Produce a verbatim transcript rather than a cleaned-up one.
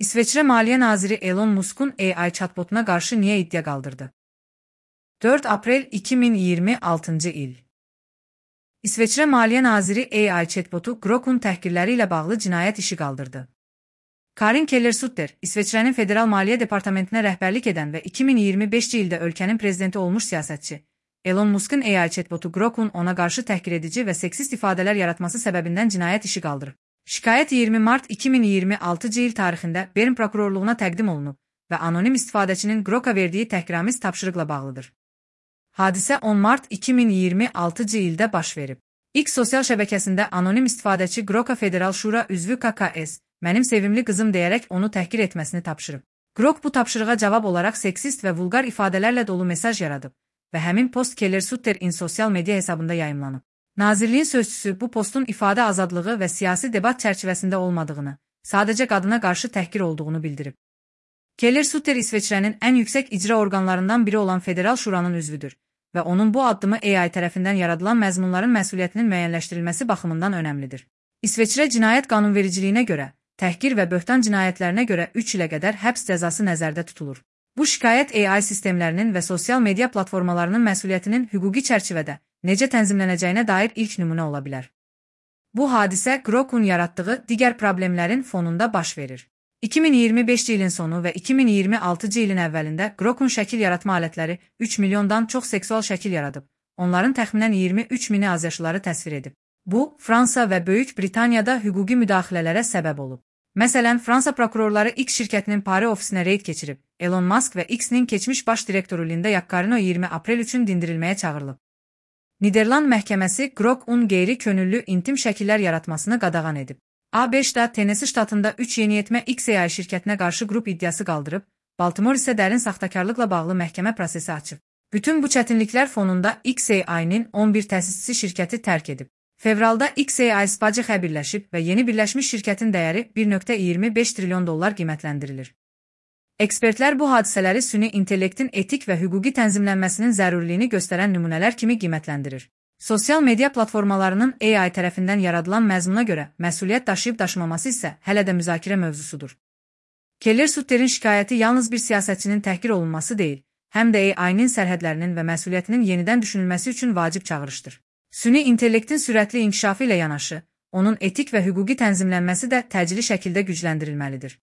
İsveçrə Maliyyə Naziri Elon Musk'un A I chatbotuna qarşı niyə iddia qaldırdı? dörd aprel iki min iyirmi altıncı il. İsveçrə Maliyyə Naziri A I chatbotu Grok'un təhqirləri ilə bağlı cinayət işi qaldırdı. Karin Keller-Sutter, İsveçrənin Federal Maliyyə Departamentinə rəhbərlik edən və iki min iyirmi beşinci ildə ölkənin prezidenti olmuş siyasətçi, Elon Musk'un A I chatbotu Grok'un ona qarşı təhqir edici və seksist ifadələr yaratması səbəbindən cinayət işi qaldırıb. Şikayət iyirmi mart iki min iyirmi altıncı il tarixində Bern prokurorluğuna təqdim olunub və anonim istifadəçinin Grok'a verdiyi təhqiramiz tapşırıqla bağlıdır. Hadisə on mart iki min iyirmi altıncı ildə baş verib. X sosial şəbəkəsində anonim istifadəçi Grok'a Federal Şura üzvü K K S, mənim sevimli qızım deyərək onu təhqir etməsini tapşırıb. Grok bu tapşırığa cavab olaraq seksist və vulqar ifadələrlə dolu mesaj yaradıb və həmin post Keller-Sutterin sosial media hesabında yayımlanıb. Nazirliyin sözçüsü bu postun ifadə azadlığı və siyasi debat çərçivəsində olmadığını, sadəcə qadına qarşı təhqir olduğunu bildirib. Keller-Sutter İsveçrənin ən yüksək icra orqanlarından biri olan Federal Şuranın üzvüdür və onun bu addımı A I tərəfindən yaradılan məzmunların məsuliyyətinin müəyyənləşdirilməsi baxımından önəmlidir. İsveçrə cinayət qanunvericiliyinə görə, təhqir və böhtan cinayətlərinə görə üç ilə qədər həbs cəzası nəzərdə tutulur. Bu şikayət A I sistemlərinin və sosial media platformalarının məsuliyyətinin hüquqi çərçivədə necə tənzimlənəcəyinə dair ilk nümunə ola bilər. Bu hadisə Grok'un yaratdığı digər problemlərin fonunda baş verir. iki min iyirmi beşinci ilin sonu və iki min iyirmi altıncı ilin əvvəlində Grok'un şəkil yaratma alətləri üç milyondan çox seksual şəkil yaradıb, onların təxminən iyirmi üç mini azyaşlıları təsvir edib. Bu, Fransa və Böyük Britaniyada hüquqi müdaxilələrə səbəb olub. Məsələn, Fransa prokurorları X şirkətinin Paris ofisinə reyd keçirib, Elon Musk və X-nin keçmiş baş direktoru Linda Yaccarino iyirmi aprel üçün dindirilməyə çağırılıb. Niderland məhkəməsi Grok'un qeyri-könüllü intim şəkillər yaratmasını qadağan edib. A beşdə Tennessee ştatında üç yeniyetmə X A I şirkətinə qarşı qrup iddiası qaldırıb, Baltimore isə dərin saxtakarlıqla bağlı məhkəmə prosesi açıb. Bütün bu çətinliklər fonunda X A I-nin on bir təsisçi şirkəti tərk edib. Fevralda X A I Spacix-ə birləşib və yeni birləşmiş şirkətin dəyəri bir nöqtə iyirmi beş trilyon dollar qiymətləndirilir. Ekspertlər bu hadisələri süni intellektin etik və hüquqi tənzimlənməsinin zərurliyini göstərən nümunələr kimi qiymətləndirir. Sosial media platformalarının A I tərəfindən yaradılan məzmuna görə məsuliyyət daşıyıb daşımaması isə hələ də müzakirə mövzusudur. Keller-Sutterin şikayəti yalnız bir siyasətçinin təhqir olunması deyil, həm də A I-nin sərhədlərinin və məsuliyyətinin yenidən düşünülməsi üçün vacib çağırışdır. Süni intellektin sürətli inkişafı ilə yanaşı, onun etik və hüquqi tənzimlənməsi də təcili şəkildə gücləndirilməlidir.